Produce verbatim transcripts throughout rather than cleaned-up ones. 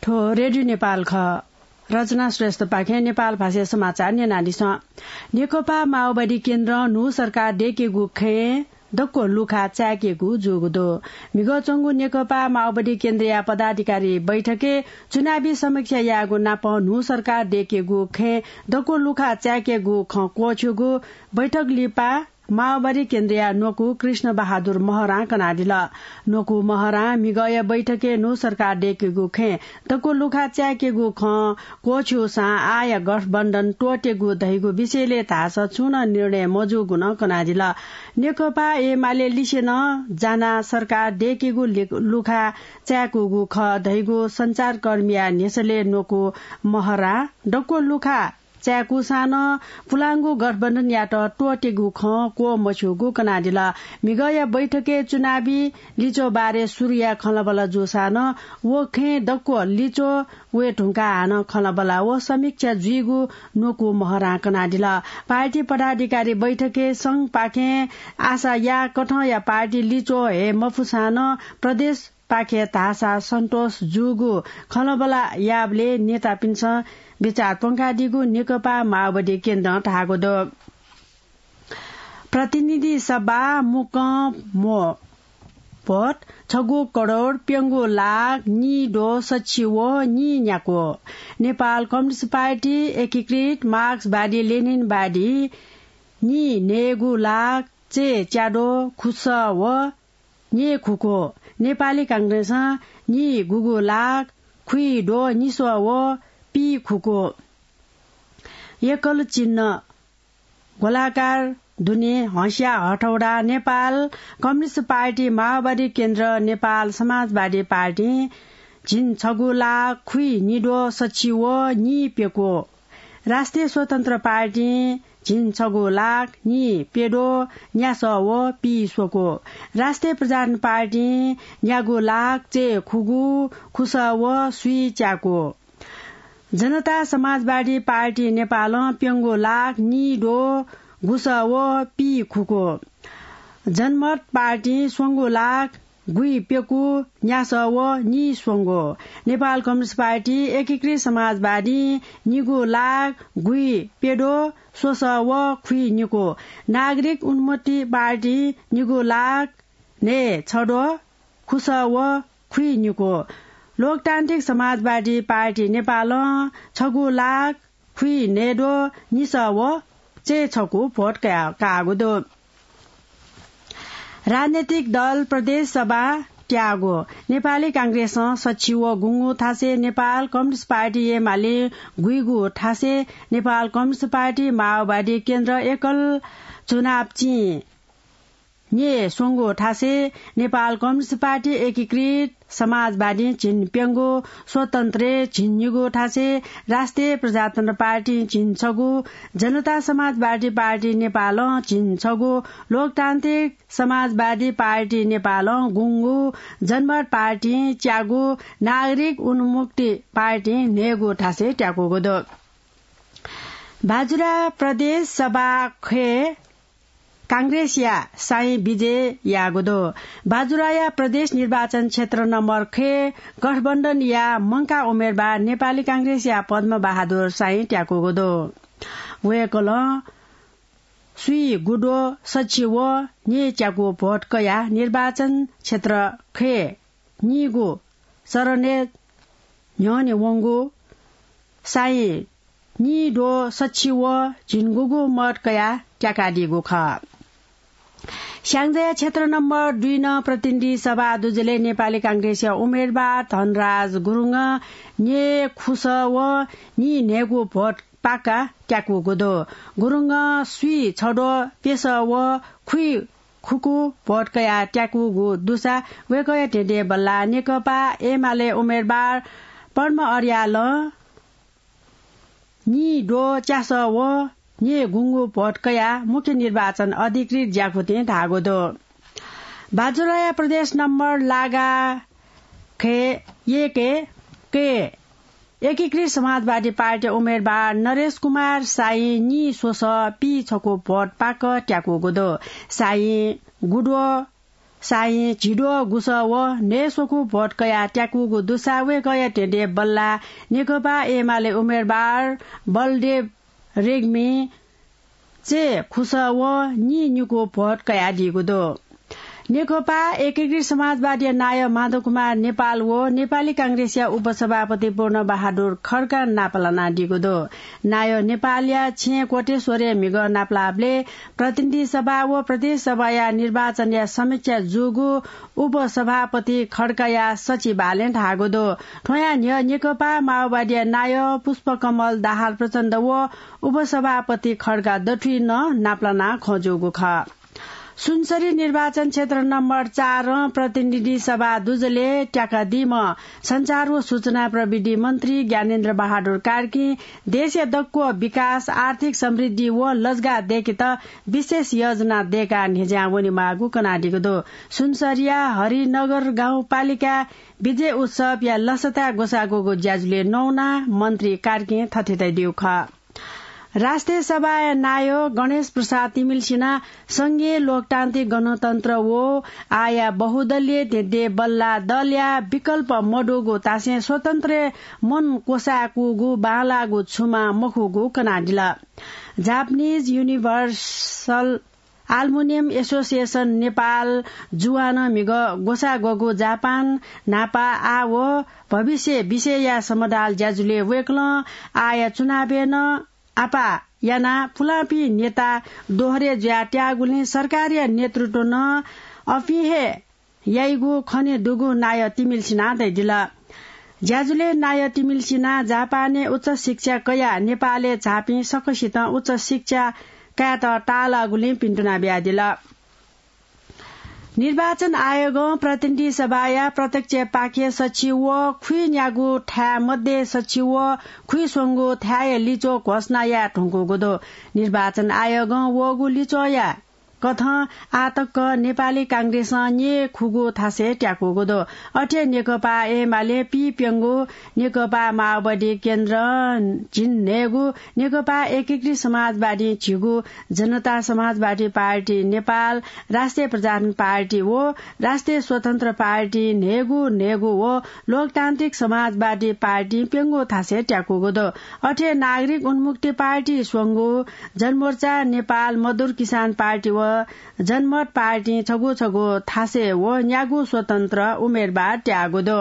थ्व रेडियो नेपाल खः। रचना श्रेष्ठपाखें नेपाल भाषाय् समाचार न्यनादिसँ। नेकपा माओवादी केन्द्रं न्हू सरकार दय्केगु खँय् दक्व लुखा चाय्केगु जूगु दु। म्हिगः च्वंगु नेकपा माओवादी केन्द्रया पदाधिकारी बैठकय् चुनावी समीक्षा यायेगु नापं न्हू सरकार दय्केगु खँय् दक्व लुखा चाय्केगु खँ क्वःछ्यूगु बैठक लिपा माओवादी केन्द्रया न्वकू कृष्ण बहादुर महरां कनादिल। न्वकू महरां म्हिगःया बैठकय् न्हू सरकार दय्केगु खँय् दक्व लुखा चाय्केगु खँ क्वःछ्यूसां आःया गठबन्धन त्वःतेगु धइगु विषयलय् धाःसा छुं नं निर्णय मजूगु नं कनादिल। नेकपा एमाले लिसे नं जानाः सरकार दय्केगु लि-, लुखा चाय्कूगु खः धइगु सञ्चारकर्मीया न्ह्यसलय् न्वकू महरां दक्व लुखा चाय्कूसां नं पुलांगु गठबन्धनयात त्वःतेगु खँ क्वःमछ्यूगु कनादिल। म्हिगःया बैठकय् चुनावी लिच्वः बारे सुरुया खँल्हाबल्हा जूसां नं व खँय् दक्व लिच्वः वये धुंकाः हानं खँल्हाबल्हा व समीक्षा जुइगु न्वकू महरां कनादिल। पार्टी पदाधिकारी बैठकय् संघपाखें आशा याःकथंया पार्टी लिच्वः हये मफुसां नं प्रदेश पाखे धाःसा सन्तोष जूगु खँल्हाबल्हा याःबलय् नेतापिन्सं बिचाः प्वंकादीगु नेकपा माओवादी केन्द्रं धाःगु दु। प्रतिनिधि सभा मुक्कं म्व भोट छगू करोड प्यंगू लाख नीद्वः सछि व नीन्याक्व। नेपाल कम्युनिस्ट पार्टी, एकीकृत मार्क्सवादी लेनिनवादी नीन्हय्गू लाख चय्च्याद्वः खुसः व न्येखुक्व। नेपाली कांग्रेसं नीगुगू लाख खुइद्वः निस्वः व पीखुक्व। एकल चिन्ह गोलाकार दुने हँस्या हथौडा नेपाल कम्युनिस्ट पार्टी, माओवादी केन्द्र, नेपाल समाजवादी पार्टीं झिंछगू लाख खुइनिद्वः सछि व नीप्यक्व। राष्ट्रिय स्वतन्त्र पार्टीं झिंछगू लाख नीप्यद्वः न्यासः व पीस्वक्व। राष्ट्रिय प्रजातन्त्र पार्टीं न्यागू लाख चय्खुगू खुसः व स्वीच्याक्व। जनता समाजवादी पार्टी नेपालं प्यंगू लाख नीद्वः गुसः व पीखुक्व। जनमत पार्टीं स्वंगू लाख गुइप्यक्व न्यासः व नीस्वंगू। नेपाल कम्युनिस्ट पार्टी, एकीकृत समाजवादीं निगू लाख गुइप्यद्वः स्वसः व खुइनिक्व। नागरिक उन्मुक्ति पार्टीं निगू लाख न्हय्छद्वः खुसः व खुइनिक्व। लोकतान्त्रिक समाजवादी पार्टी नेपालं छगू लाख खुइन्हय्द्वः निसः व चय्छक्व भोट कया-, काःगु दु। राजनैतिक दल प्रदेश सभा त्याःगु। नेपाली कांग्रेसं सछि व गुंगू थासय्, नेपाल कम्युनिस्ट पार्टी एमाले गुइगू थासय्, नेपाल कम्युनिस्ट पार्टी माओवादी केन्द्र एकल चुनाव चिं न्येस्वंगू थासय्, नेपाल कम्युनिस्ट पार्टी, एकीकृत समाजवादीं झिंप्यंगू, स्वतन्त्रय् झिंनिगू थासय्, राष्ट्रिय प्रजातन्त्र पार्टीं झिंछगू, जनता समाजवादी पार्टी नेपालं झिंछगू, लोकतान्त्रिक समाजवादी पार्टी नेपालं गुंगू, जनमत पार्टीं च्यागू, नागरिक उन्मुक्ति पार्टीं न्हय्गू थासय् त्याकूगु दु। बाजुरा प्रदेश सभा ख्वय् कांग्रेसया साइँ विजय याःगु दु। बाजुराया प्रदेश निर्वाचन क्षेत्र नम्बर ख्वय् गठबन्धनया मंकाः उम्मेदवार नेपाली कांग्रेसया पद्म बहादुर साइँ त्याकूगु दु। वय्कलं स्वीगुद्वः सछि व न्येच्याक्व भोट कयाः निर्वाचन क्षेत्र ख्वय् नीगू चरणय् न्ह्यःने वंगु साइँ नीद्वः सछि व झिंगुगू मत कयाः त्याकादीगु खः। स्याङ्जाया क्षेत्र नम्बर दुई नं प्रतिनिधि सभा दुजलय् नेपाली कांग्रेसया उम्मेदवार धनराज गुरुङं न्येखुसः व नीन्हय्गू भोट पाकाः त्याकूगु दु। गुरुङं स्वीछद्वः प्यसः व खुइखुक्व भोट कयाः त्याकूगु दुसा वय्कःया धेंधेंबल्लाः नेकपा एमाले उम्मेदवार पद्म अर्यालं नीद्वः च्यासः व न्येगुंगू भोट कयाः मुख्य निर्वाचन अधिकृत ज्याकुथिं धाःगु दु। बाजुराया प्रदेश नम्बर लागा ख्वय् एकय् एकीकृत समाजवादी पार्टी उम्मेदवार नरेश कुमार साइँ नीस्वसः पीछक्व भोट पाकः त्याकूगु दु। साइँ गुद्वः साहिं झिद्वः गुसः व न्हय्‌स्वकू भोट कयाः त्याकूगु दुसा वय्‌कःया ध्येँद्यः बल्लाः नेकपा एमाले उम्मेदवार बलदेव रेग्मी चय्‌खुसः व नीनिकू भोट कयादीगु दु। नेकपा एकीकृत समाजवादीया नायः माधव कुमार नेपाल व नेपाली कांग्रेसया उपसभापति पूर्ण बहादुर खड्का नापलानादीगु दु। नायः नेपालया छेँ कोटेश्वरय् म्हिगः नापलाःबलय् प्रतिनिधि सभा व प्रदेश सभाया निर्वाचनया समीक्षा जूगु उपसभापति खड्काया सचिवालयं धाःगु दु। थ्वयां न्ह्यः नेकपा माओवादीया नायः पुष्पकमल दाहाल प्रचण्ड व उपसभापति खड्का दथुइ नं नापलानाः खँ जूगु खः। सुनसरी निर्वाचन क्षेत्र नम्बर चारं प्रतिनिधि सभा दुजलय् त्याकादीम्ह सञ्चार व सूचना प्रविधि मन्त्री ज्ञानेन्द्र बहादुर कार्कीं देशया दक्व विकास, आर्थिक समृद्धि व लजगाः दय्‌केत विशेष योजना दय्‌काः न्ह्यज्यां वनेमाःगु कनादीगु दु। सुनसरीया हरिनगर गाउँपालिका विजय उत्सवया लसताय् ग्वसाः ग्वःगु ज्याझ्वलय् नवानाः मन्त्री कार्कीं थथे धयादीगु खः। राष्ट्रिय सभाया नायः गणेश प्रसाद तिमिल्सिनां संघीय लोकतान्त्रिक गणतन्त्र व आःया बहुदलीय ध्येँद्यः बल्लाः दलया विकल्प मदुगु धासें स्वतन्त्र मन क्वसाय्‌कूगु बांलाःगु छुमां मखुगु कनादिल। Japanese universal aluminium association Nepal, जुवानं म्हिगः ग्वसाः ग्वःगु जापान न्हापा, आः व भविष्य विषयया समदाल ज्याझ्वलय् वय्‌कलं आःया चुनावय् नं आपाः यानाः पुलांपिं नेता दोहरे जुयाः त्याःगुलिं सरकारया नेतृत्व नं अपिं हे याइगु खनेदुगु नायः तिमिल्सिनां धयादिल। ज्याझ्वलय् नायः तिमिल्सिनां जापानय् उच्च शिक्षा कयाः नेपालय् झाःपिं सकसितं उच्च शिक्षा कायेत ताःलाःगुलिं भिन्तुना बियादिल। निर्वाचन आयोगं प्रतिनिधि सभाया प्रत्यक्ष पाखे सछि व खुइन्यागू थाय् मध्ये सछि व खुइस्वंगू थाय्‌या लिच्वः घोषणा याये धुंकूगु दु। निर्वाचन आयोगं वःगु लिच्वःया कथं आः तक नेपाली कांग्रेसं न्येखुगू थासय् त्याकूगु दु। अथे नेकपा एमाले पीप्यंगू, नेकपा माओवादी केन्द्र झिंन्हय्‌गू, नेकपा एकीकृत समाजवादी झिगू, जनता समाजवादी पार्टी नेपाल, राष्ट्रिय प्रजातन्त्र पार्टी व राष्ट्रिय स्वतन्त्र पार्टी न्हय्‌गू न्हय्‌गू व लोकतान्त्रिक समाजवादी पार्टी प्यंगू थासय् त्याकूगु दु। अथे नागरिक उन्मुक्ति पार्टी स्वंगू, जनमोर्चा नेपाल, मजदुर किसान पार्टी व जनमत पार्टी छगू छगू थासय् व न्यागू स्वतन्त्र उम्मेदवार त्याःगु दु।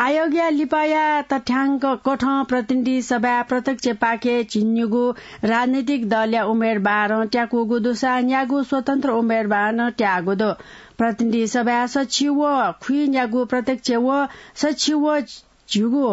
आयोगया लिपाया तथ्याङ्क कथं प्रतिनिधि सभाय् प्रत्यक्ष पाखे झिंनिगू राजनैतिक दलया उम्मेदवारं त्याकूगु दुसा न्यागू स्वतन्त्र उम्मेदवारं त्याःगु दु। प्रतिनिधि सभाय् सछि व खुइन्यागू प्रत्यक्ष व सछि व झिगू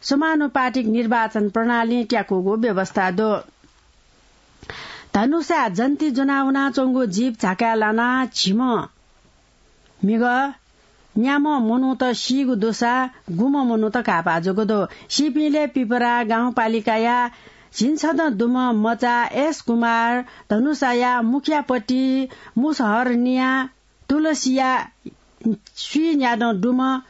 समानुपातिक निर्वाचन प्रणालीं त्याकूगु व्यवस्था दु। धनुषाय् जन्ती ज्वनावनाच्वंगु जीप झाकाय् लानाः झिम्ह म्हिगः न्याम्ह मनूत सीगु दुसा गुम्ह मनूत काःपाः जूगु दु। सीपिंलय् पिपरा गाउँपालिकाया झिंछदँ दुम्ह मचा एस कुमार, धनुषाया मुखियापट्टि मुसहरनिया तुलसिया स्वीन्यादँ दुम्ह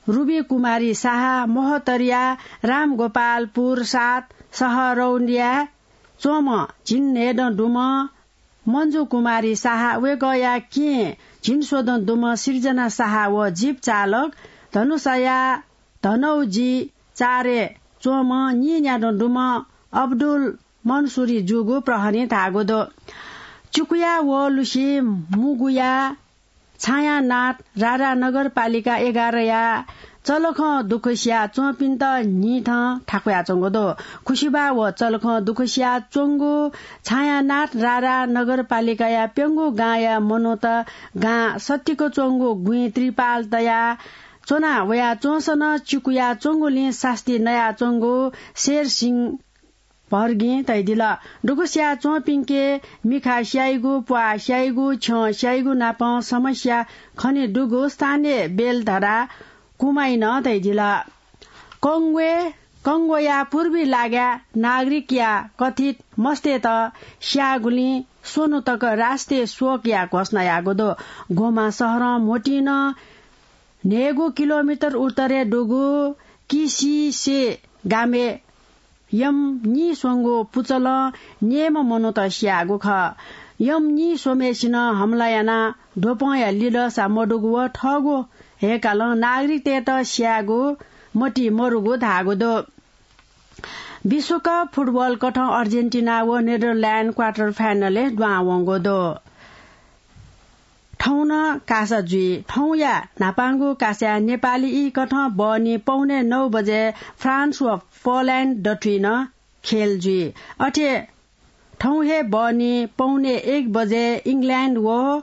रुबी कुमारी साहा, महोत्तरया रामगोपालपुर सात सहरौनिया च्वंम्ह झिंन्हय्‌दँ दुम्ह मन्जु कुमारी साहा, वय्‌कःया केहेँ झिंस्वदँ दुम्ह सिर्जना साहा व जीप चालक धनुषाया धनौजी चारय् च्वंम्ह नीन्यादँ दुम्ह अब्दुल मन्सुरी जूगु प्रहरीं धाःगु दु। चिकुया व लुसी मुगुया छायानाथ रारा नगरपालिका एघारया चलखं दुःख सिया च्वंपिन्त न्हिथं थाकुयाच्वंगु दु। खुसिबा व चलखं दुःख सिया च्वंगु छायानाथ रारा नगरपालिकाया प्यंगू गांया मनूत गां सत्तिक च्वंगु गुँइ त्रिपाल तया च्वना वया च्वंसं नं चिकुया च्वंगुलिं सास्ती नयाच्वंगु शेर सिंह भर्गीं धयादिल। दुःख सिया च्वंपिंके मिखा स्याइगु, प्वाः स्याइगु, छ्यं स्याइगु नापं समस्या खने दुगु स्थानीय बेलधरा कुमाइनं धयादिल। कंगोया पूर्वी लागाय् नागरिकया कथित मस्तय्‌त स्याःगुलिं स्वन्हु तक राष्ट्रिय शोकया घोषणा याःगु दु। गोमा शहरं म्होतिं नं न्हय्‌गू किलोमिटर उत्तरय् दुगु किसिसे गामय् यम नीस्वंगू पुचलं न्येम्ह मनूत स्याःगु खः। यम नीस्वम्हय्‌सिनं हमला यानाः द्वपंया लिलसा मदुगु व थःगु हेकालं नागरिकतय्त स्यायेगु मति मरुगु धाःगु दु। विश्वकप फुटबल कथं अर्जेन्टिना व नेदरल्याण्ड क्वार्टर फाइनलय् दुहां वंगु दु। थौं नं कासा जुइ। थौंया न्हापांगु कासाय् नेपाली ई कथं बहनी पौने नौ बजे फ्रान्स व पोल्याण्ड दथुइ नं खेल जुइ। अथे थौं हे बहनी पौने एक बजे इङ्ल्याण्ड व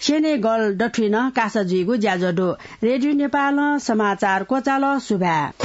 सेनेगल दथुइ नं कासा जुइगु ज्याझ्वः दु। रेडियो नेपालं समाचार क्वचाल। सुभाय्।